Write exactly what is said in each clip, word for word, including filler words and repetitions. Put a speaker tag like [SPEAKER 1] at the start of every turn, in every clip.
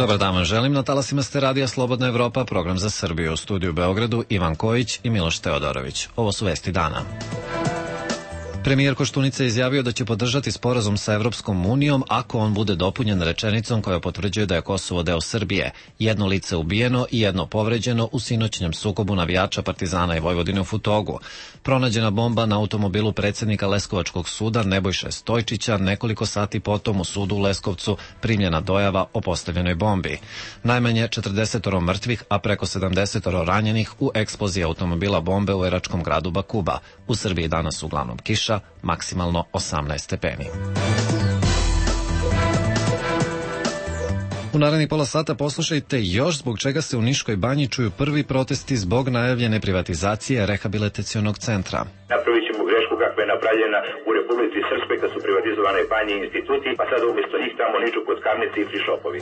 [SPEAKER 1] Dobar dan vam želim, na talasima ste Radija Slobodna Evropa, program za Srbiju. U studiju u Beogradu Ivan Kojić i Miloš Teodorović. Ovo su vesti dana. Premijer Koštunica je izjavio da će podržati sporazum sa Evropskom unijom ako on bude dopunjen rečenicom koja potvrđuje da je Kosovo deo Srbije. Jedno lice ubijeno i jedno povređeno u sinoćnjem sukobu navijača Partizana i Vojvodine u Futogu. Pronađena bomba na automobilu predsjednika Leskovačkog suda Nebojše Stojčića, nekoliko sati potom u sudu u Leskovcu primljena dojava o postavljenoj bombi. Najmanje četrdeset mrtvih, a preko sedamdeset ranjenih u eksploziji automobila bombe u iračkom gradu Bakuba. U Srbiji danas uglavnom kiša, maksimalno osamnaest stepeni. U narednih pola sata poslušajte još zbog čega se u Niškoj banji čuju prvi protesti zbog najavljene privatizacije rehabilitacionog centra.
[SPEAKER 2] Napravit ćemo grešku kakva je napravljena u Republici Srpskoj kad su privatizovane banje i instituti, pa sad umjesto njih tamo niču kockarnice i frišopovi.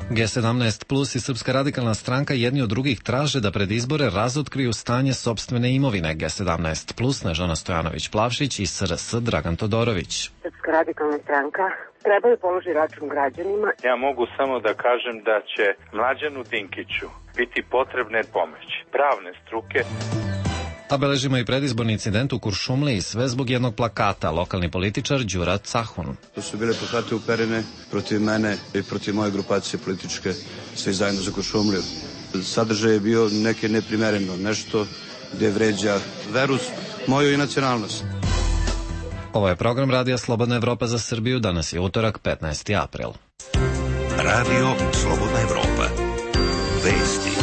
[SPEAKER 1] G sedamnaest plus i Srpska radikalna stranka jedni od drugih traže da pred izbore razotkriju stanje sopstvene imovine. G sedamnaest plus Snežana Stojanović-Plavšić i S R S Dragan Todorović.
[SPEAKER 3] Srpska radikalna stranka treba da položi račun građanima.
[SPEAKER 4] Ja mogu samo da kažem da će Mlađanu Dinkiću biti potrebne pomoći pravne struke.
[SPEAKER 1] A beležimo i predizborni incident u Kuršumliji, sve zbog jednog plakata, lokalni političar Đura Cahun.
[SPEAKER 5] To su bile plakate uperene protiv mene i protiv moje grupacije političke, svi zajedno za Kuršumliju. Sadržaj je bio neke neprimereno, nešto gde vređa veru moju i nacionalnost.
[SPEAKER 1] Ovo je program Radija Slobodna Evropa za Srbiju, danas je utorak, petnaesti april.
[SPEAKER 6] Radio Slobodna Evropa. Vesti.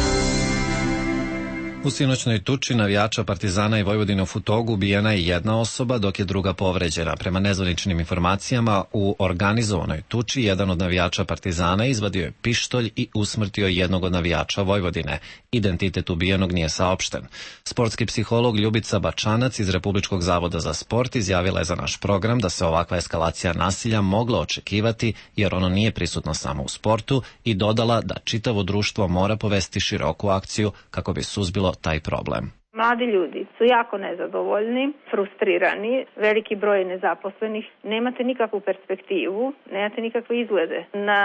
[SPEAKER 1] U sinoćnoj tuči navijača Partizana i Vojvodine u Futogu ubijena je jedna osoba, dok je druga povređena. Prema nezvaničnim informacijama, u organizovanoj tuči jedan od navijača Partizana izvadio je pištolj i usmrtio jednog od navijača Vojvodine. Identitet ubijenog nije saopšten. Sportski psiholog Ljubica Bačanac iz Republičkog zavoda za sport izjavila je za naš program da se ovakva eskalacija nasilja mogla očekivati jer ono nije prisutno samo u sportu i dodala da čitavo društvo mora povesti široku akciju kako bi suzbilo taj problem.
[SPEAKER 7] Mladi ljudi su jako nezadovoljni, frustrirani, veliki broj nezaposlenih, nemate nikakvu perspektivu, nemate nikakve izglede na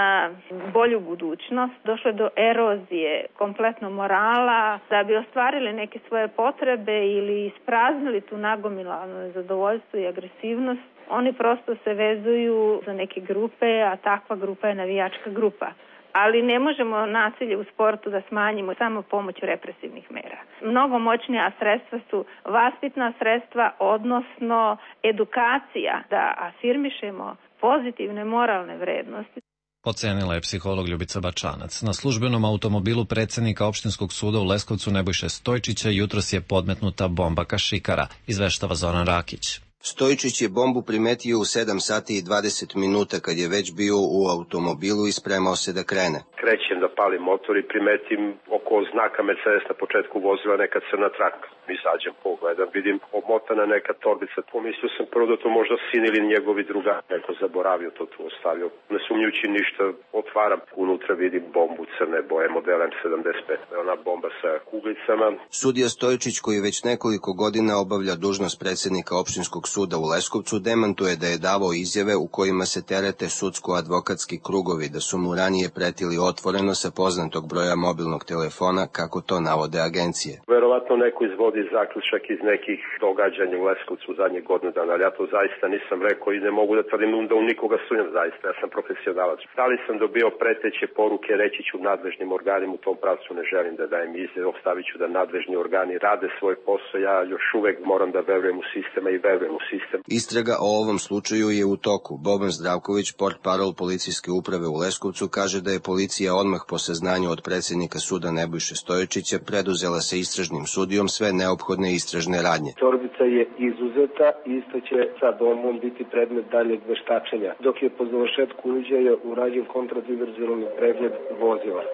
[SPEAKER 7] bolju budućnost. Došlo je do erozije kompletno morala, da bi ostvarili neke svoje potrebe ili ispraznili tu nagomilano nezadovoljstvo i agresivnost. Oni prosto se vezuju za neke grupe, a takva grupa je navijačka grupa. Ali ne možemo nasilje u sportu da smanjimo samo pomoću represivnih mera. Mnogo moćnija sredstva su vaspitna sredstva, odnosno edukacija, da afirmišemo pozitivne moralne vrednosti.
[SPEAKER 1] Ocenila je psiholog Ljubica Bačanac. Na službenom automobilu predsjednika Opštinskog suda u Leskovcu Nebojše Stojčića jutros je podmetnuta bomba kašikara, izveštava Zoran Rakić.
[SPEAKER 8] Stojčić je bombu primetio u sedam sati i dvadeset minuta kad je već bio u automobilu i spremao se da krene.
[SPEAKER 9] Krećem da palim motor i primetim oko znaka Mercedes na početku vozila neka crna traka. Izađem, pogledam, vidim omotana neka torbica. Pomislio sam prvo da to možda sin ili njegovi druga. Neko zaboravio to tu ostavio. Ne sumnjujući ništa, otvaram. Unutra vidim bombu crne boje modela M sedamdeset pet. Ona bomba sa kuglicama.
[SPEAKER 8] Sudija Stojčić, koji već nekoliko godina obavlja dužnost predsjednika Opštinskog suda u Leskovcu, demantuje da je davao izjave u kojima se terete sudsko-advokatski krugovi, da su mu ranije pretili otvoreno sa poznatog broja mobilnog telefona, kako to navode agencije.
[SPEAKER 9] Verovatno neko izvodi zaključak iz nekih događanja u Leskovcu u zadnjih godinu dana, ali ja to zaista nisam rekao i ne mogu da tvrdim da u nikoga sumnjam zaista, ja sam profesionalac. Da li sam dobio preteće poruke, reći ću nadležnim organima, u tom pravcu ne želim da dajem izjave, ostavit ću da nadležni organi rade svoj posao, ja još uvek moram da verujem u sistema i verujem u sistem.
[SPEAKER 8] Istraga o ovom slučaju je u toku. Boban Zdravković, portparol policijske uprave u Leskovcu, kaže da je policija odmah po saznanju od predsjednika suda Nebojše Stojčića preduzela sa istražnim sudijom sve neophodne istražne radnje.
[SPEAKER 10] Torbica je izuzeta i isto će sa domom biti predmet daljeg veštačenja, dok je po završetku uviđaja urađen kontradiverzualni pregled vozila.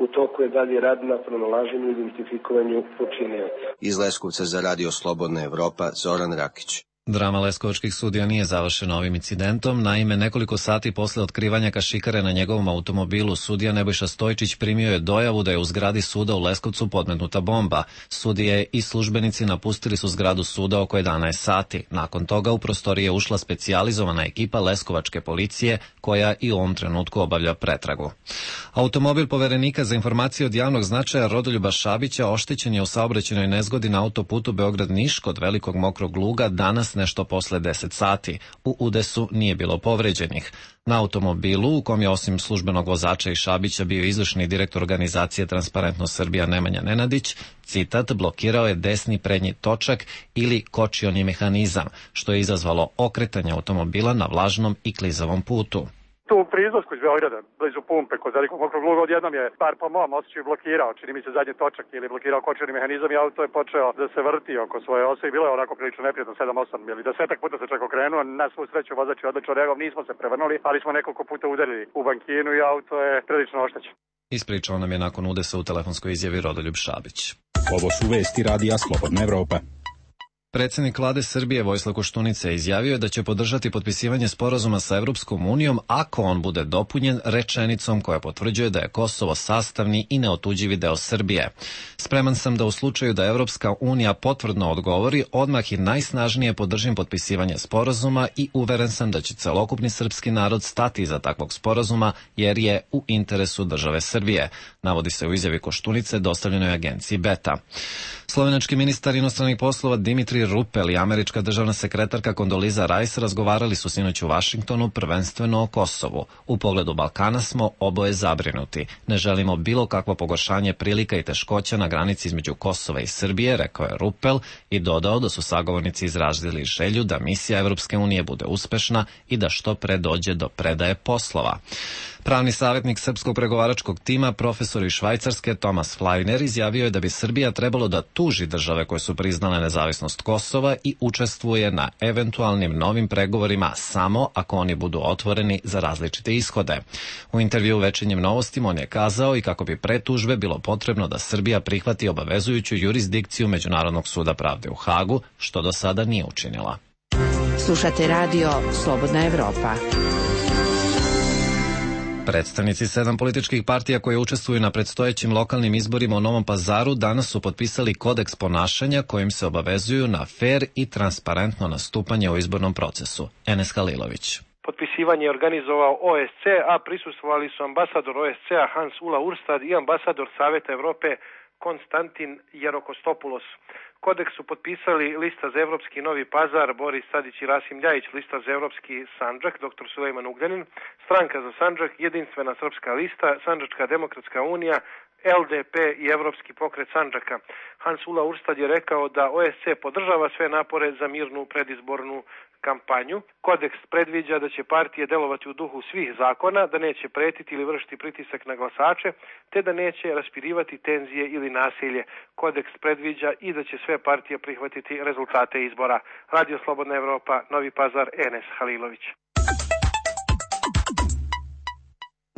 [SPEAKER 10] U toku je dalje rad na pronalaženju i identifikovanju počinioca.
[SPEAKER 8] Iz Leskovca za Radio Slobodna Evropa, Zoran Rakić.
[SPEAKER 1] Drama leskovačkih sudija nije završena ovim incidentom. Naime, nekoliko sati posle otkrivanja kašikare na njegovom automobilu, sudija Nebojša Stojčić primio je dojavu da je u zgradi suda u Leskovcu podmetnuta bomba. Sudije i službenici napustili su zgradu suda oko jedanaest sati. Nakon toga u prostorije je ušla specijalizovana ekipa leskovačke policije koja i u ovom trenutku obavlja pretragu. Automobil poverenika za informacije od javnog značaja Rodoljuba Šabića oštećen je u saobraćajnoj nezgodi na autoputu Beograd-Niš kod Velikog Mokrog Luga danas nešto posle deset sati. U udesu nije bilo povređenih. Na automobilu, u kom je osim službenog vozača i Šabića bio izvršni direktor organizacije Transparentnost Srbija Nemanja Nenadić, citat, blokirao je desni prednji točak ili kočioni mehanizam, što je izazvalo okretanje automobila na vlažnom i klizavom putu.
[SPEAKER 11] Tu pri izlasku iz Beograda, blizu pumpe kod Velikog Mokrog Luga, odjednom je, bar po mom osjećaju, blokirao, čini mi se zadnji točak ili blokirao kočeni mehanizam i auto je počeo da se vrti oko svoje ose i bilo je onako prilično neprijatno, sedam osam ili desetak puta se čak okrenuo, na svu sreću vozač je odlično reagovao, nismo se prevrnuli, ali smo nekoliko puta udarili u bankinu i auto je prilično oštećen.
[SPEAKER 1] Ispričao nam je nakon udesa u telefonskoj izjavi Rodoljub Šabić.
[SPEAKER 12] Ovo su vesti radija Slobodna Evropa.
[SPEAKER 1] Predsjednik vlade Srbije Vojislav Koštunica izjavio je da će podržati potpisivanje sporazuma sa Evropskom unijom ako on bude dopunjen rečenicom koja potvrđuje da je Kosovo sastavni i neotuđivi deo Srbije. Spreman sam da u slučaju da Evropska unija potvrdno odgovori, odmah i najsnažnije podržim potpisivanje sporazuma i uveren sam da će celokupni srpski narod stati iza takvog sporazuma jer je u interesu države Srbije, navodi se u izjavi Koštunice dostavljenoj agenciji Beta. Slovenački ministar inostranih poslova Dimitri Rupel i američka državna sekretarka Kondoliza Rice razgovarali su sinoć u Vašingtonu prvenstveno o Kosovu. U pogledu Balkana smo oboje zabrinuti. Ne želimo bilo kakvo pogoršanje prilika i teškoća na granici između Kosova i Srbije, rekao je Rupel i dodao da su sagovornici izrazili želju da misija Evropske unije bude uspešna i da što pre dođe do predaje poslova. Pravni savjetnik srpskog pregovaračkog tima, profesor iz Švajcarske Tomas Flajner, izjavio je da bi Srbija trebalo da tuži države koje su priznale nezavisnost Kosova i učestvuje na eventualnim novim pregovorima samo ako oni budu otvoreni za različite ishode. U intervju u Večernjim novostima on je kazao i kako bi pre tužbe bilo potrebno da Srbija prihvati obavezujuću jurisdikciju Međunarodnog suda pravde u Hagu, što do sada nije učinila.
[SPEAKER 13] Slušate radio Slobodna Evropa.
[SPEAKER 1] Predstavnici sedam političkih partija koje učestvuju na predstojećim lokalnim izborima u Novom Pazaru danas su potpisali kodeks ponašanja kojim se obavezuju na fer i transparentno nastupanje u izbornom procesu. Enes Halilović.
[SPEAKER 14] Potpisivanje je organizovao O S C E, a prisustvovali su ambasador O S C E-a Hans Ula Urstad i ambasador Saveta Evrope Konstantin Jerokostopoulos. Kodeks su potpisali Lista za Evropski Novi Pazar, Boris Tadić i Rasim Ljajić, Lista za Evropski Sandžak, doktor Sulejman Ugljanin, Stranka za Sandžak, Jedinstvena srpska lista, Sandžačka demokratska unija, L D P i Evropski pokret Sandžaka. Hans Ula Urstad je rekao da O S C E podržava sve napore za mirnu predizbornu kampanju. Kodeks predviđa da će partije delovati u duhu svih zakona, da neće pretiti ili vršiti pritisak na glasače, te da neće raspirivati tenzije ili nasilje. Kodeks predviđa i da će sve partije prihvatiti rezultate izbora. Radio Slobodna Evropa, Novi Pazar, Enes Halilović.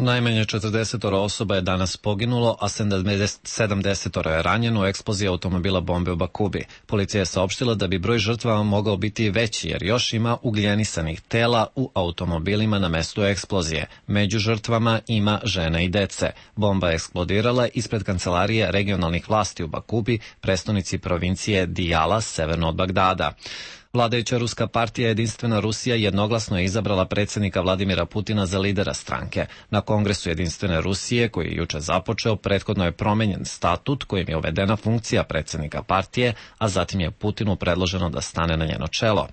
[SPEAKER 1] Najmanje četrdeset osoba je danas poginulo, a sedamdeset je ranjeno u eksploziji automobila bombe u Bakubi. Policija je saopštila da bi broj žrtava mogao biti veći jer još ima ugljenisanih tela u automobilima na mestu eksplozije. Među žrtvama ima žena i dece. Bomba je eksplodirala ispred kancelarije regionalnih vlasti u Bakubi, prestonici provincije Dijala, severno od Bagdada. Vladajuća ruska partija Jedinstvena Rusija jednoglasno je izabrala predsjednika Vladimira Putina za lidera stranke. Na Kongresu Jedinstvene Rusije, koji je juče započeo, prethodno je promenjen statut kojim je uvedena funkcija predsjednika partije, a zatim je Putinu predloženo da stane na njeno čelo.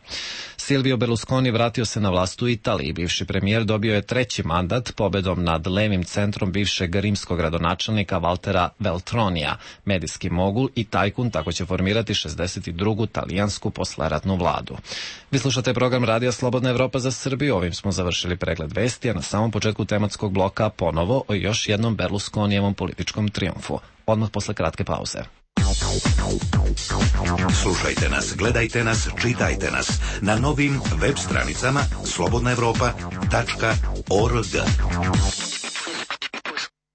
[SPEAKER 1] Silvio Berlusconi vratio se na vlast u Italiji. Bivši premijer dobio je treći mandat pobedom nad levim centrom bivšeg rimskog gradonačelnika Valtera Veltronija. Medijski mogul i tajkun tako će formirati šezdeset drugu talijansku posleratnu vladu. Vladu. Vi slušate program Radija Slobodna Evropa za Srbiju. Ovim smo završili pregled vesti, a na samom početku tematskog bloka ponovo o još jednom Berlusconijevom političkom trijumfu. Odmah posle kratke pauze.
[SPEAKER 6] Slušajte nas, gledajte nas, čitajte nas na novim web stranicama slobodna evropa tačka org.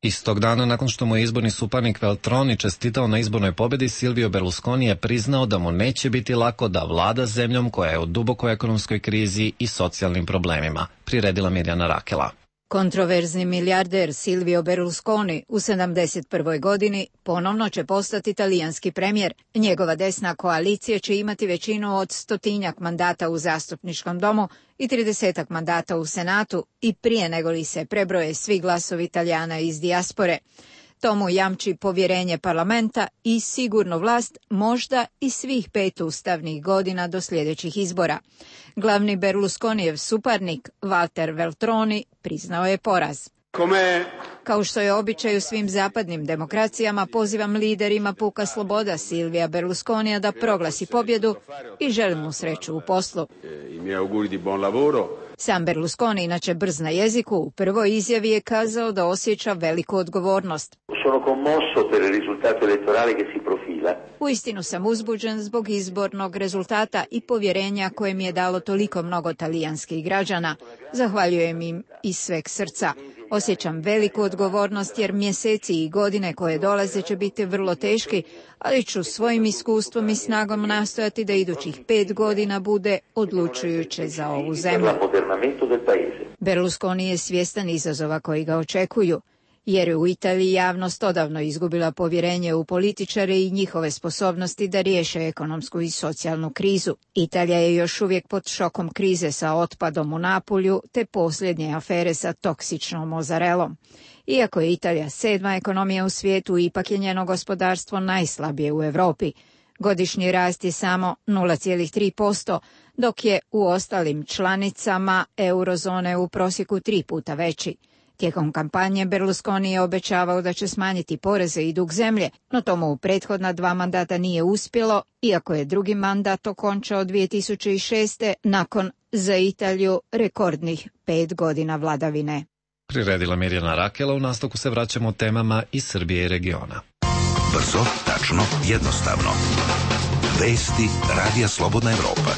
[SPEAKER 1] Istog dana, nakon što mu je izborni suparnik Veltroni čestitao na izbornoj pobedi, Silvio Berlusconi je priznao da mu neće biti lako da vlada zemljom koja je u dubokoj ekonomskoj krizi i socijalnim problemima, priredila Mirjana Rakela.
[SPEAKER 15] Kontroverzni milijarder Silvio Berlusconi u sedamdeset prvoj godini ponovno će postati talijanski premijer. Njegova desna koalicija će imati većinu od stotinjak mandata u zastupničkom domu i tridesetak mandata u senatu i prije nego li se prebroje svi glasovi Italijana iz dijaspore. To mu jamči povjerenje parlamenta i sigurnu vlast možda i svih pet ustavnih godina do sljedećih izbora. Glavni Berlusconijev suparnik Walter Veltroni priznao je poraz. Kao što je običaj u svim zapadnim demokracijama, pozivam liderima Puka sloboda Silvija Berlusconija da proglasi pobjedu i želim mu sreću u poslu. Sam Berlusconi, inače brz na jeziku, u prvoj izjavi je kazao da osjeća veliku odgovornost. Uistinu sam uzbuđen zbog izbornog rezultata i povjerenja koje mi je dalo toliko mnogo talijanskih građana. Zahvaljujem im iz sveg srca. Osjećam veliku odgovornost jer mjeseci i godine koje dolaze će biti vrlo teški, ali ću svojim iskustvom i snagom nastojati da idućih pet godina bude odlučujuće za ovu zemlju. Berlusconi je svjestan izazova koji ga očekuju, jer je u Italiji javnost odavno izgubila povjerenje u političare i njihove sposobnosti da riješe ekonomsku i socijalnu krizu. Italija je još uvijek pod šokom krize sa otpadom u Napulju te posljednje afere sa toksičnom mozarelom. Iako je Italija sedma ekonomija u svijetu, ipak je njeno gospodarstvo najslabije u Europi. Godišnji rast je samo nula zarez tri posto, dok je u ostalim članicama eurozone u prosjeku tri puta veći. Tijekom kampanje Berlusconi je obećavao da će smanjiti poreze i dug zemlje, no tomu u prethodna dva mandata nije uspjelo, iako je drugi mandat okončao dvije tisuće šeste nakon za Italiju rekordnih pet godina vladavine.
[SPEAKER 1] Priredila Mirjana Rakela, u nastavku se vraćamo temama iz Srbije i regiona.
[SPEAKER 6] Brzo, tačno, jednostavno. Vesti Radija Slobodna Evropa.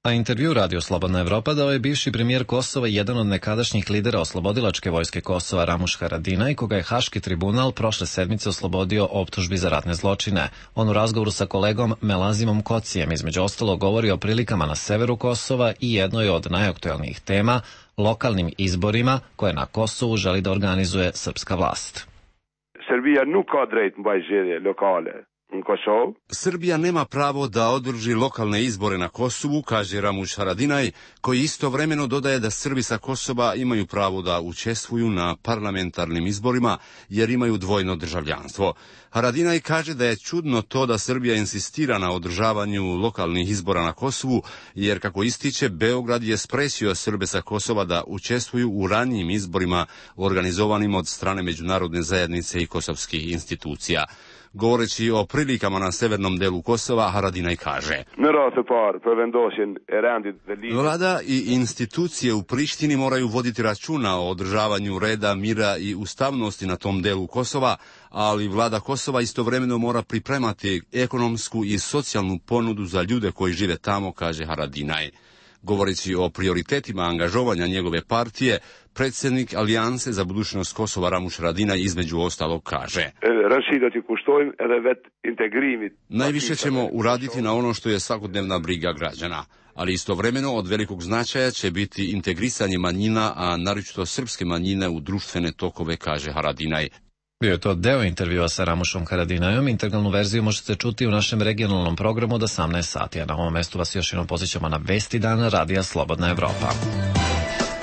[SPEAKER 1] A intervju Radio Slobodna Evropa dao je bivši premijer Kosova i jedan od nekadašnjih lidera oslobodilačke vojske Kosova Ramuš Haradinaj, koga je Haški tribunal prošle sedmice oslobodio optužbi za ratne zločine. On u razgovoru sa kolegom Melazimom Kocijem između ostalo govori o prilikama na severu Kosova i jednoj od najaktuelnijih tema, lokalnim izborima koje na Kosovu želi da organizuje srpska vlast.
[SPEAKER 16] Srbija nuk ka drejt mbajtje lokale.
[SPEAKER 17] Srbija nema pravo da održi lokalne izbore na Kosovu, kaže Ramuš Haradinaj, koji istovremeno dodaje da Srbi sa Kosova imaju pravo da učestvuju na parlamentarnim izborima jer imaju dvojno državljanstvo. Haradinaj kaže da je čudno to da Srbija insistira na održavanju lokalnih izbora na Kosovu, jer kako ističe, Beograd je sprečio Srbe sa Kosova da učestvuju u ranijim izborima organizovanim od strane međunarodne zajednice i kosovskih institucija. Govoreći o prilikama na severnom delu Kosova, Haradinaj kaže: Vlada i institucije u Prištini moraju voditi računa o održavanju reda, mira i ustavnosti na tom delu Kosova, ali vlada Kosova istovremeno mora pripremati ekonomsku i socijalnu ponudu za ljude koji žive tamo, kaže Haradinaj. Govoreći o prioritetima angažovanja njegove partije, predsjednik Alijanse za budućnost Kosova Ramuš Haradinaj između ostalog kaže: Najviše ćemo uraditi na ono što je svakodnevna briga građana, ali istovremeno od velikog značaja će biti integrisanje manjina, a naročito srpske manjine u društvene tokove, kaže Haradinaj.
[SPEAKER 1] Bio je to deo intervjua sa Ramušom Haradinajom. Integralnu verziju možete čuti u našem regionalnom programu od osamnaest sati, a na ovom mestu vas još jednom posjećamo na Vesti dana Radija Slobodna Evropa.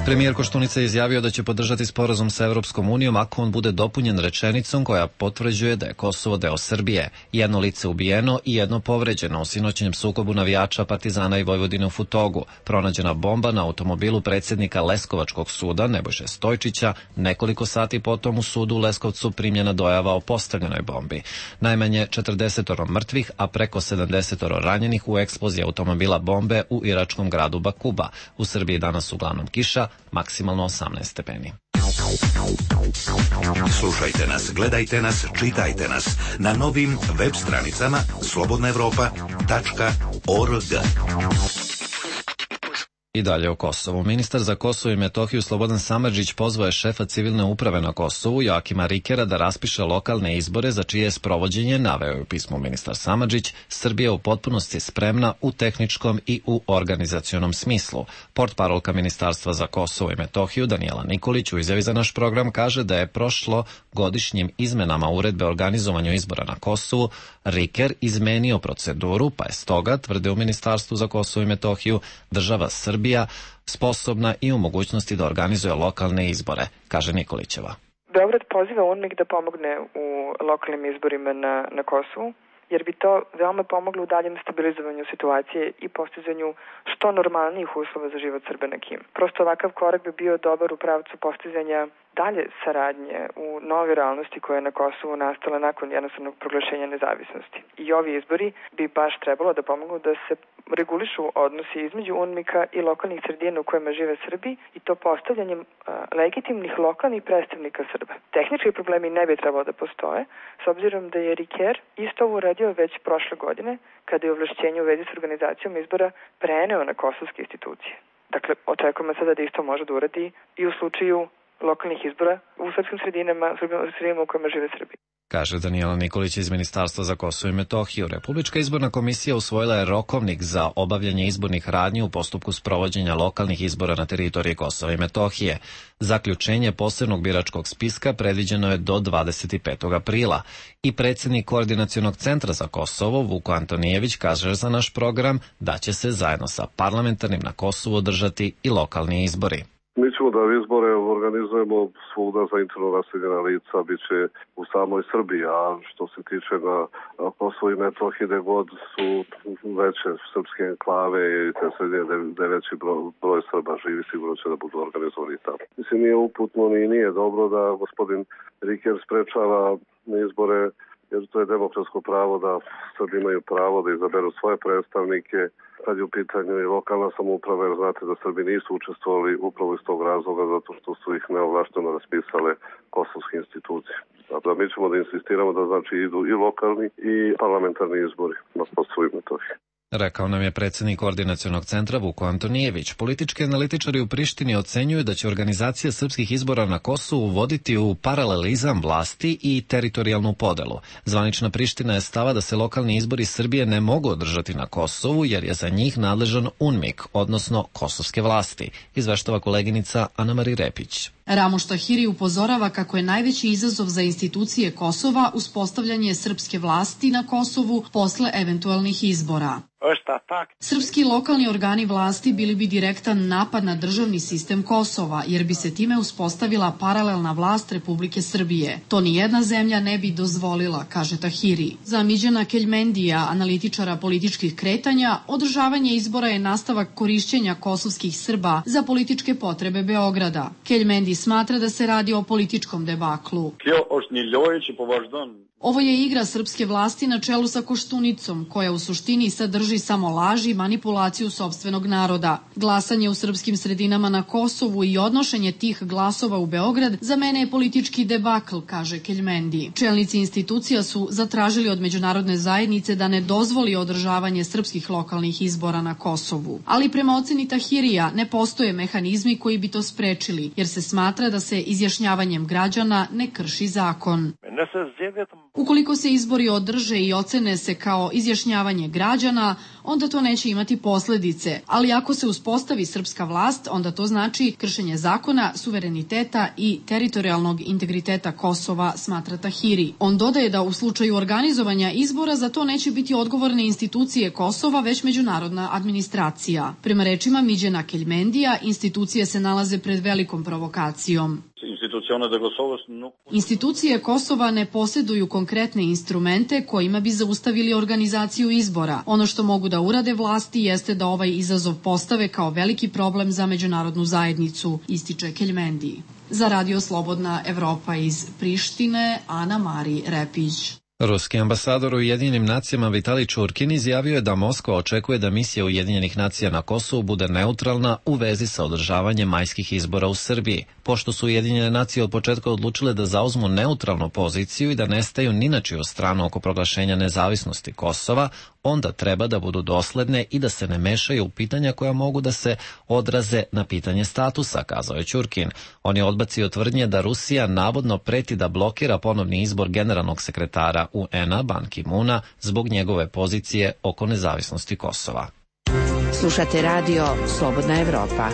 [SPEAKER 1] Premijer Koštunica je izjavio da će podržati sporazum sa Evropskom unijom ako on bude dopunjen rečenicom koja potvrđuje da je Kosovo deo Srbije. Jedno lice ubijeno i jedno povređeno u sinoćnjem sukobu navijača Partizana i Vojvodine u Futogu. Pronađena bomba na automobilu predsjednika Leskovačkog suda Nebojše Stojčića. Nekoliko sati potom u sudu u Leskovcu primljena dojava o postavljenoj bombi. Najmanje četrdeset mrtvih, a preko sedamdeset ranjenih u eksploziji automobila bombe u iračkom gradu Bakuba. U Srbiji danas uglavnom kiša, maksimalno osamnaest stepeni.
[SPEAKER 6] Slušajte nas, gledajte nas, čitajte nas na novim web stranicama slobodna evropa tačka org.
[SPEAKER 1] I dalje o Kosovu. Ministar za Kosovo i Metohiju Slobodan Samardžić pozvao je šefa civilne uprave na Kosovu, Joakima Rikera, da raspiše lokalne izbore za čije sprovođenje, naveo je u pismu ministar Samardžić, Srbija u potpunosti spremna u tehničkom i u organizacionom smislu. Portparolka Ministarstva za Kosovo i Metohiju Danijela Nikolić u izjavi za naš program kaže da je prošlo godišnjim izmenama uredbe o organizovanju izbora na Kosovu Riker izmenio proceduru, pa je stoga, tvrde u Ministarstvu za Kosovo i Metohiju, država Srbija sposobna i u mogućnosti da organizuje lokalne izbore, kaže Nikolićeva.
[SPEAKER 18] Beograd poziva UNMIK da pomogne u lokalnim izborima na, na Kosovu, jer bi to veoma pomoglo u daljem stabilizovanju situacije i postizanju što normalnijih uslova za život Srba na Kim. Prosto ovakav korak bi bio dobar u pravcu postizanja dalje saradnje u nove realnosti koja je na Kosovu nastala nakon jednostavnog proglašenja nezavisnosti. I ovi izbori bi baš trebalo da pomogu da se regulišu odnosi između UNMIK-a i lokalnih sredina u kojima žive Srbi i to postavljanjem a, legitimnih lokalnih predstavnika Srba. Tehnički problemi ne bi trebalo da postoje, s obzirom da je Riker isto ovo uradio već prošle godine, kada je ovlašćenje u vezi s organizacijom izbora preneo na kosovske institucije. Dakle, očekujemo sada da isto može da uradi i u slučaju lokalnih izbora u srpskim sredinama, sredinama u kojima žive Srbi.
[SPEAKER 1] Kaže Danijela Nikolić iz Ministarstva za Kosovo i Metohiju. Republička izborna komisija usvojila je rokovnik za obavljanje izbornih radnji u postupku sprovođenja lokalnih izbora na teritoriji Kosova i Metohije. Zaključenje posebnog biračkog spiska predviđeno je do dvadeset petog aprila i predsjednik Koordinacionog centra za Kosovo Vuko Antonijević kaže za naš program da će se zajedno sa parlamentarnim na Kosovu održati i lokalni izbori.
[SPEAKER 19] Mi ćemo da izbore organizujemo svuda za interno raseljena lica, bit će u samoj Srbiji, a što se tiče na Kosovo i Metohiji, gde god su veće srpske enklave i te sredine gde veći broj, broj Srba živi, sigurno će da budu organizovani tamo. Mislim, nije uputno ni nije dobro da gospodin Riker sprečava izbore, jer to je demokratsko pravo da Srbi imaju pravo da izaberu svoje predstavnike, kad je u pitanju i lokalna samouprava, jer znate da Srbi nisu učestvovali upravo iz tog razloga, zato što su ih neovlašteno raspisale kosovske institucije. Dakle, mi ćemo da insistiramo da znači idu i lokalni i parlamentarni izbori na Kosovu i Metohiji.
[SPEAKER 1] Rekao nam je predsjednik Koordinacionog centra Vuko Antonijević. Politički analitičari u Prištini ocenjuju da će organizacija srpskih izbora na Kosovu voditi u paralelizam vlasti i teritorijalnu podelu. Zvanična Priština je stava da se lokalni izbori Srbije ne mogu održati na Kosovu jer je za njih nadležan UNMIK, odnosno kosovske vlasti, izveštava koleginica Ana-Mari Repić.
[SPEAKER 20] Ramuš Tahiri upozorava kako je najveći izazov za institucije Kosova uspostavljanje srpske vlasti na Kosovu posle eventualnih izbora. Srpski lokalni organi vlasti bili bi direktan napad na državni sistem Kosova, jer bi se time uspostavila paralelna vlast Republike Srbije. To ni jedna zemlja ne bi dozvolila, kaže Tahiri. Za Miđana Keljmendija, analitičara političkih kretanja, održavanje izbora je nastavak korišćenja kosovskih Srba za političke potrebe Beograda. Keljmendi smatra da se radi o političkom debaklu. Ovo je igra srpske vlasti na čelu sa Koštunicom, koja u suštini sadrži samo laži i manipulaciju sopstvenog naroda. Glasanje u srpskim sredinama na Kosovu i odnošenje tih glasova u Beograd za mene je politički debakl, kaže Keljmendi. Čelnici institucija su zatražili od međunarodne zajednice da ne dozvoli održavanje srpskih lokalnih izbora na Kosovu. Ali prema oceni Tahirija ne postoje mehanizmi koji bi to sprečili, jer se smatra da se izjašnjavanjem građana ne krši zakon. Ukoliko se izbori održe i ocene se kao izjašnjavanje građana, onda to neće imati posledice, ali ako se uspostavi srpska vlast, onda to znači kršenje zakona, suvereniteta i teritorijalnog integriteta Kosova, smatra Tahiri. On dodaje da u slučaju organizovanja izbora za to neće biti odgovorne institucije Kosova, već međunarodna administracija. Prema rečima Miđana Keljmendija, institucije se nalaze pred velikom provokacijom. Institucije Kosova ne posjeduju konkretne instrumente kojima bi zaustavili organizaciju izbora. Ono što mogu da urade vlasti jeste da ovaj izazov postave kao veliki problem za međunarodnu zajednicu, ističe Keljmendi. Za Radio Slobodna Evropa iz Prištine, Ana-Mari Repić.
[SPEAKER 1] Ruski ambasador u Ujedinjenim nacijama Vitalij Čurkin izjavio je da Moskva očekuje da misija Ujedinjenih nacija na Kosovu bude neutralna u vezi sa održavanjem majskih izbora u Srbiji. Pošto su Ujedinjene nacije od početka odlučile da zauzmu neutralnu poziciju i da ne staju ni na čiju stranu oko proglašenja nezavisnosti Kosova, onda treba da budu dosledne i da se ne mešaju u pitanja koja mogu da se odraze na pitanje statusa, kazao je Ćurkin. On je odbacio tvrdnje da Rusija navodno preti da blokira ponovni izbor generalnog sekretara U N-a Ban Ki-muna zbog njegove pozicije oko nezavisnosti Kosova.
[SPEAKER 13] Slušate radio Slobodna Evropa.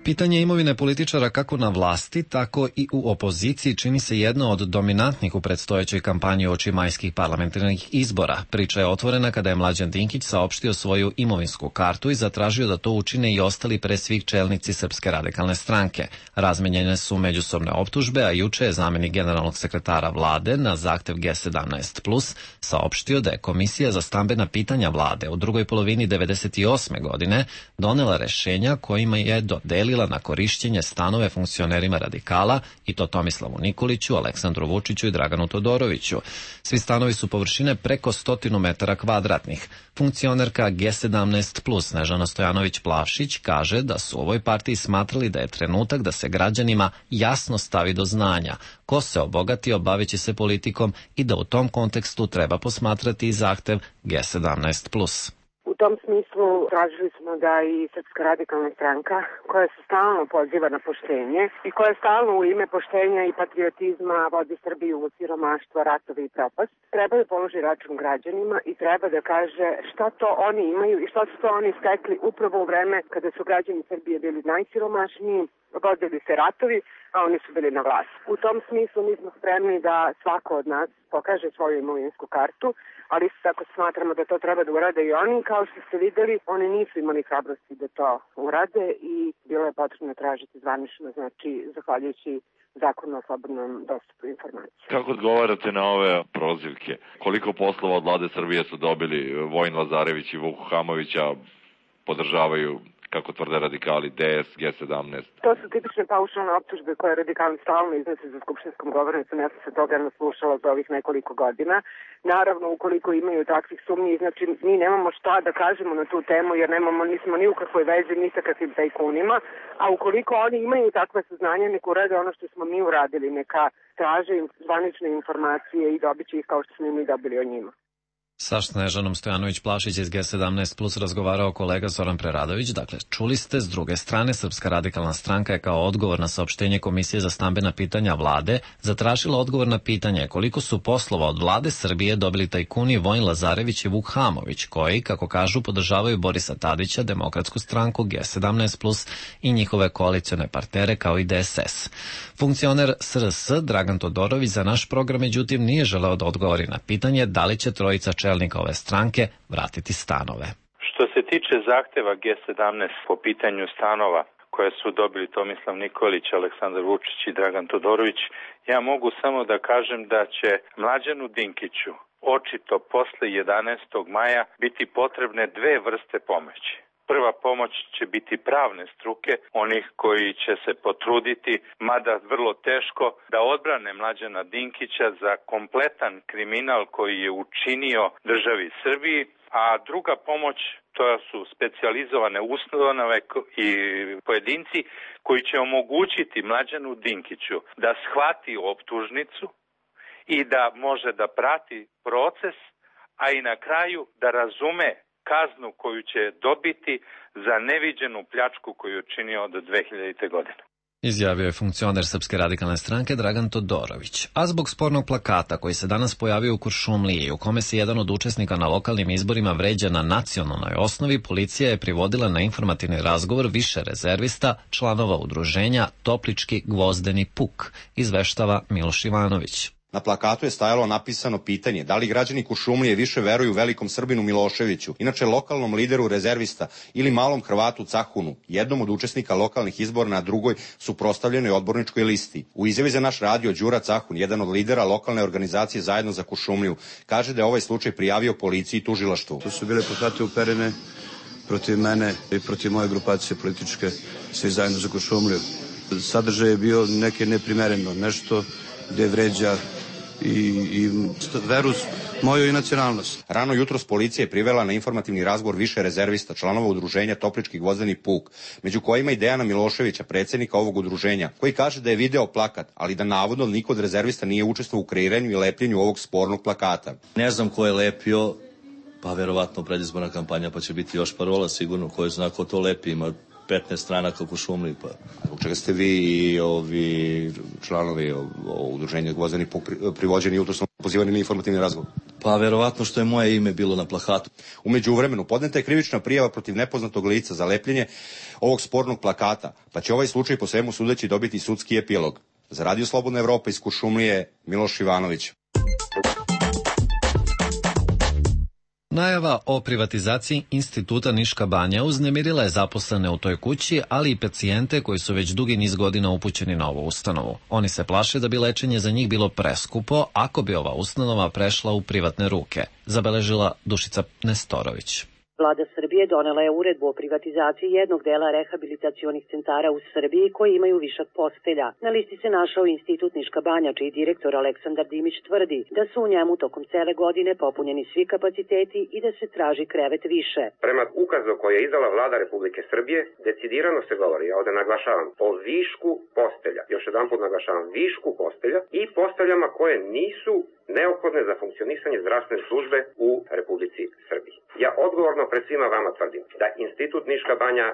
[SPEAKER 1] Pitanje imovine političara kako na vlasti, tako i u opoziciji čini se jedno od dominantnih u predstojećoj kampanji uoči majskih parlamentarnih izbora. Priča je otvorena kada je Mlađan Dinkić saopštio svoju imovinsku kartu i zatražio da to učine i ostali pre svih čelnici Srpske radikalne stranke. Razmenjene su međusobne optužbe, a juče je zamenik generalnog sekretara vlade na zahtev G sedamnaest plus saopštio da je Komisija za stambena pitanja vlade u drugoj polovini devedeset osme godine donela rešenja kojima je dodelila na korišćenje stanove funkcionerima radikala, i to Tomislavu Nikoliću, Aleksandru Vučiću i Draganu Todoroviću. Svi stanovi su površine preko stotinu metara kvadratnih. Funkcionerka G sedamnaest plus Snežana Stojanović-Plavšić kaže da su u ovoj partiji smatrali da je trenutak da se građanima jasno stavi do znanja ko se obogatio baveći se politikom i da u tom kontekstu treba posmatrati i zahtev G sedamnaest plus.
[SPEAKER 3] U tom smislu tražili smo da i Srpska radikalna stranka, koja se stalno poziva na poštenje i koja stalno u ime poštenja i patriotizma vodi Srbiju u siromaštvo, ratove i propast, treba da položi račun građanima i treba da kaže šta to oni imaju i šta su to oni stekli upravo u vreme kada su građani Srbije bili najsiromašniji, vodili se ratovi, a oni su bili na vlasti. U tom smislu mi smo spremni da svako od nas pokaže svoju imovinsku kartu, ali isto tako smatramo da to treba da urade i oni. Kao što ste videli, oni nisu imali hrabrosti da to urade i bilo je potrebno tražiti zvanično, znači zahvaljujući zakonu o slobodnom dostupu informacije.
[SPEAKER 21] Kako odgovarate na ove prozivke? Koliko poslova od vlade Srbije su dobili Vojin Lazarević i Vuk Hamovića, podržavaju, kako tvrde radikali, D S, G sedamnaest? To
[SPEAKER 3] su tipične paušalne optužbe koje radikali stalno iznose za skupštinskom govornicom. Ja sam se toga naslušala za ovih nekoliko godina. Naravno, ukoliko imaju takvih sumnji, znači mi nemamo šta da kažemo na tu temu, jer nemamo, nismo ni u kakvoj vezi ni sa kakvim tajkunima, a ukoliko oni imaju takve saznanja, neka urade ono što smo mi uradili, neka traže zvanične informacije i dobit će ih kao što smo mi dobili o njima.
[SPEAKER 1] Sa Snežanom Stojanović-Plavšić iz G sedamnaest plus razgovarao kolega Zoran Preradović. Dakle, čuli ste, s druge strane, Srpska radikalna stranka je kao odgovor na saopštenje Komisije za stambena pitanja vlade zatražila odgovor na pitanje koliko su poslova od vlade Srbije dobili tajkuni Vojin Lazarević i Vuk Hamović, koji, kako kažu, podržavaju Borisa Tadića, Demokratsku stranku, G sedamnaest plus i njihove koalicione partnere kao i D S S. Funkcioner S R S Dragan Todorović za naš program, međutim, nije želeo da odgovori na pitanje da li će trojica čelnika ove stranke vratiti stanove.
[SPEAKER 4] Što se tiče zahteva G sedamnaest po pitanju stanova koje su dobili Tomislav Nikolić, Aleksandar Vučić i Dragan Todorović, ja mogu samo da kažem da će Mlađanu Dinkiću očito posle jedanaestog maja biti potrebne dve vrste pomoći. Prva pomoć će biti pravne struke, onih koji će se potruditi, mada vrlo teško, da odbrane Mlađana Dinkića za kompletan kriminal koji je učinio državi Srbiji, a druga pomoć to su specijalizovane ustanove i pojedinci koji će omogućiti Mlađanu Dinkiću da shvati optužnicu i da može da prati proces, a i na kraju da razume kaznu koju će dobiti za neviđenu pljačku koju je učinio do dve hiljadite. godine.
[SPEAKER 1] Izjavio je funkcioner Srpske radikalne stranke Dragan Todorović. A zbog spornog plakata koji se danas pojavio u Kuršumliji, u kome se jedan od učesnika na lokalnim izborima vređa na nacionalnoj osnovi, policija je privodila na informativni razgovor više rezervista, članova udruženja Toplički gvozdeni puk, izveštava Miloš Ivanović.
[SPEAKER 22] Na plakatu je stajalo napisano pitanje da li građani Kuršumlije više veruju velikom Srbinu Miloševiću, inače lokalnom lideru rezervista, ili malom Hrvatu Cahunu, jednom od učesnika lokalnih izbora na drugoj suprotstavljenoj odborničkoj listi. U izjavi za naš radio Đura Cahun, jedan od lidera lokalne organizacije Zajedno za Kuršumliju, kaže da je ovaj slučaj prijavio policiji i tužilaštvu.
[SPEAKER 5] To su bile plakate uperene protiv mene i protiv moje grupacije političke Svi zajedno za Kuršumliju. Sadržaj je bio neke neprimereno, nešto gde vređa i, i veru moju i nacionalnost.
[SPEAKER 22] Rano jutros policija je privela na informativni razgovor više rezervista, članova udruženja Toplički gvozdeni puk, među kojima i Dejana Miloševića, predsjednika ovog udruženja, koji kaže da je video plakat, ali da navodno niko od rezervista nije učestvovao u kreiranju i lepljenju ovog spornog plakata.
[SPEAKER 2] Ne znam ko je lepio, pa verovatno predizborna kampanja, pa će biti još parola sigurno, ko je zna ko to lepi, ima petnaest stranaka u Šumliji. Pa.
[SPEAKER 22] Zbog čega ste vi i ovi članovi udruženja Gvozdeni puk privođeni jutros pozivani na informativni razgovor?
[SPEAKER 2] Pa verovatno što je moje ime bilo na plakatu.
[SPEAKER 22] U međuvremenu podneta je krivična prijava protiv nepoznatog lica za lepljenje ovog spornog plakata, pa će ovaj slučaj po svemu sudeći dobiti sudski epilog. Za Radio Slobodna Evropa iz Kuršumlije, Miloš Ivanović.
[SPEAKER 1] Najava o privatizaciji Instituta Niška banja uznemirila je zaposlene u toj kući, ali i pacijente koji su već dugi niz godina upućeni na ovu ustanovu. Oni se plaše da bi lečenje za njih bilo preskupo ako bi ova ustanova prešla u privatne ruke, zabeležila Dušica Nestorović.
[SPEAKER 7] Vlada Srbije donela je uredbu o privatizaciji jednog dela rehabilitacionih centara u Srbiji koji imaju višak postelja. Na listi se našao Institut Niška banja, čiji direktor Aleksandar Dimić tvrdi da su u njemu tokom cele godine popunjeni svi kapaciteti i da se traži krevet više.
[SPEAKER 23] Prema ukazu koji je izdala Vlada Republike Srbije, decidirano se govori, ja ovde naglašavam, o višku postelja. Još jedan put naglašavam, višku postelja i posteljama koje nisu neophodne za funkcionisanje zdravstvene službe u Republici Srbiji. Ja odgovorno pred svima vama tvrdim da Institut Niška banja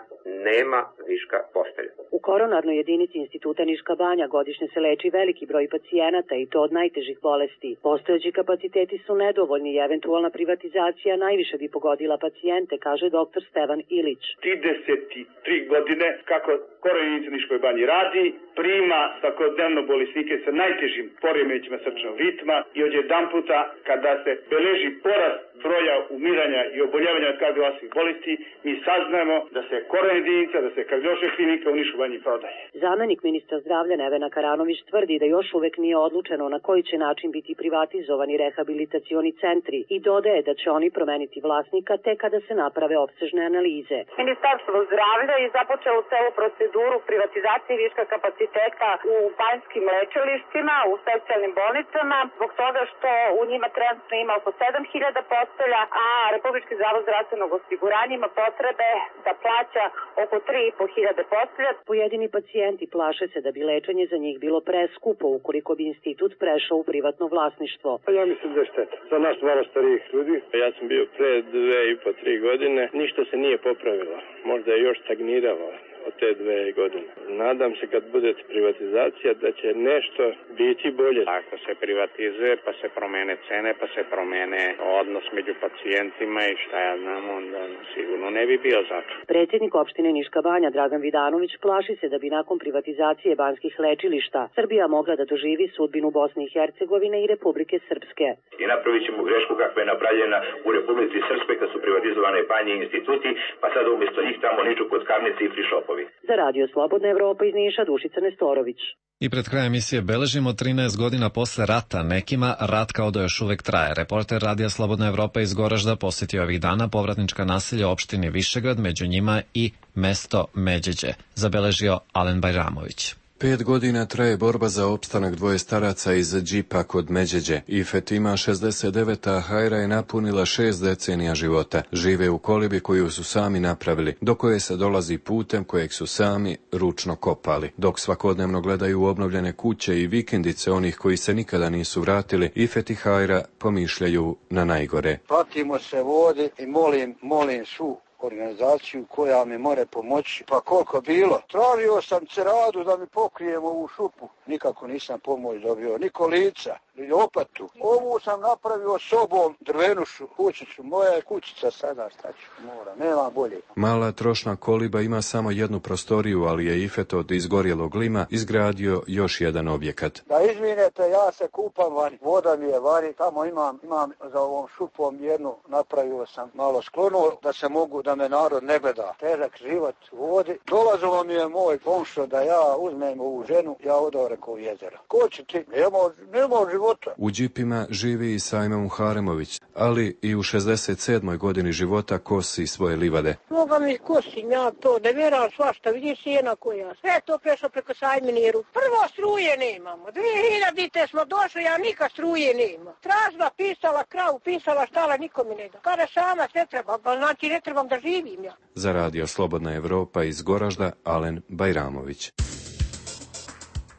[SPEAKER 23] nema viška postelja.
[SPEAKER 7] U koronarnoj jedinici Instituta Niška banja godišnje se leči veliki broj pacijenata i to od najtežih bolesti. Postojeći kapaciteti su nedovoljni i eventualna privatizacija najviše bi pogodila pacijente, kaže doktor Stevan Ilić.
[SPEAKER 24] trideset tri godine kako koronarnica Niškoj banji radi, prima svakodnevno bolesnike sa najtežim poremećima srčnog ritma i odjedan puta kada se beleži porast broja umiranja i oboljevanja od kardiovaskularnih bolesti, mi saznajemo da se koronarna jedinica, da se kardiološka klinika u Nišu banji prodaje.
[SPEAKER 7] Zamenik ministra zdravlja Nevena Karanović tvrdi da još uvek nije odlučeno na koji će način biti privatizovani rehabilitacioni centri i dodaje da će oni promeniti vlasnika tek kada se naprave opsežne analize.
[SPEAKER 25] Ministarstvo zdravlja je započelo celu proceduru privatizacije viška kapaciteta u banjskim lečilištima, u specijalnim bolnicama, zbog toga što u njima trenutno ima oko sedam hiljada postelja, a Republički zavod zdravstvenog osiguranja ima potrebe da plaća oko tri i po hiljade postelja.
[SPEAKER 7] Pojedini pacijenti plaše se da bi lečenje za njih bilo preskupo ukoliko bi institut prešao u privatno vlasništvo.
[SPEAKER 24] Ja mislim da je šteta. Za nas malo starijih ljudi. Ja sam bio pre dve i po tri godine. Ništa se nije popravilo. Možda je još stagniralo od te dve godine. Nadam se kad bude privatizacija da će nešto biti bolje.
[SPEAKER 26] Ako se privatizuje pa se promene cene, pa se promene odnos među pacijentima i šta ja znam, onda sigurno ne bi bio zato.
[SPEAKER 7] Predsjednik opštine Niška banja Dragan Vidanović plaši se da bi nakon privatizacije banjskih lečilišta Srbija mogla da doživi sudbinu Bosne i Hercegovine i Republike Srpske.
[SPEAKER 27] I napravit ćemo grešku kakva je napravljena u Republici Srpske kad su privatizovane banje i instituti, pa sad umjesto njih tamo niču kockarnice i frišopovi.
[SPEAKER 7] Za Radio Slobodna Evropa iz Niša, Dušica Nestorović.
[SPEAKER 1] I pred krajem emisije beležimo trinaest godina posle rata. Nekima rat kao da još uvek traje. Reporter Radija Slobodna Evropa iz Goražda posjetio ovih dana povratnička naselja u opštini Višegrad, među njima i mesto Međeđe, zabeležio Alen Bajramović.
[SPEAKER 28] Pet godina traje borba za opstanak dvoje staraca iz džipa kod Međeđe. Ifet ima šezdeset devet, a Hajra je napunila šest decenija života. Žive u kolibi koju su sami napravili, do koje se dolazi putem kojeg su sami ručno kopali. Dok svakodnevno gledaju obnovljene kuće i vikendice onih koji se nikada nisu vratili, Ifet i Hajra pomišljaju na najgore.
[SPEAKER 29] Pratimo se vodi i molim, molim su organizaciju koja mi more pomoći. Pa koliko bilo? Tražio sam ceradu da mi pokrijem ovu šupu. Nikako nisam pomoć dobio. Ni kolica, ni opatu. Ovu sam napravio sobom, drvenušu kućicu. Moja je kućica sada, šta ću, mora. Nema bolje.
[SPEAKER 28] Mala trošna koliba ima samo jednu prostoriju, ali je Ifet od izgorjelog lima izgradio još jedan objekat.
[SPEAKER 29] Da izvinete, ja se kupam vani. Voda mi je vani. Tamo imam, imam za ovom šupom jednu, napravio sam malo sklonuo da se mogu da me narod ne gleda. Težak život u vodi. Dolazilo mi je moj komšo da ja uzmem ovu ženu, ja odavre preko jezera. Ko će ti? Nema, nema života.
[SPEAKER 28] U džipima živi i Sajma Muharemović, ali i u šezdeset sedmoj godini života kosi svoje livade.
[SPEAKER 8] Moga mi kosim ja to, da vjeram svašta, vidi sjena koja. Sve to prešlo preko Sajminiru. Prvo struje nemamo. dvije hiljadite smo došli, ja nikad struje nema. Tražila, pisala, kravu, pisala, štala, nikome ne da. Kada sama sve treba, pa znači ne trebam da živim ja.
[SPEAKER 28] Za radio Slobodna Evropa iz Goražda, Alen Bajramović.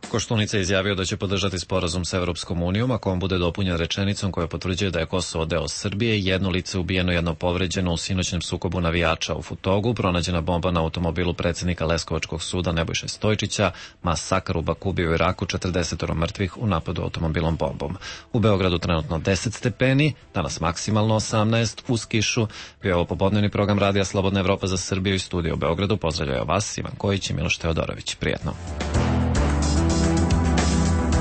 [SPEAKER 1] Koštunica je izjavio da će podržati sporazum sa Evropskom unijom ako on bude dopunjen rečenicom koja potvrđuje da je Kosovo deo Srbije, jedno lice ubijeno, jedno povređeno u sinoćnem sukobu navijača u Futogu, pronađena bomba na automobilu predsjednika Leskovačkog suda Nebojše Stojčića, masakr u Bakubiju u Iraku, četrdeset mrtvih u napadu automobilom bombom. U Beogradu trenutno deset stepeni, danas maksimalno osamnaest, uz kišu. Bio je ovo popodnevni program Radija Slobodna Evropa za Srbiju i studio u Beogradu. Pozdravljaju vas Ivan Kojić i Miloš Teodorović. Prijetno.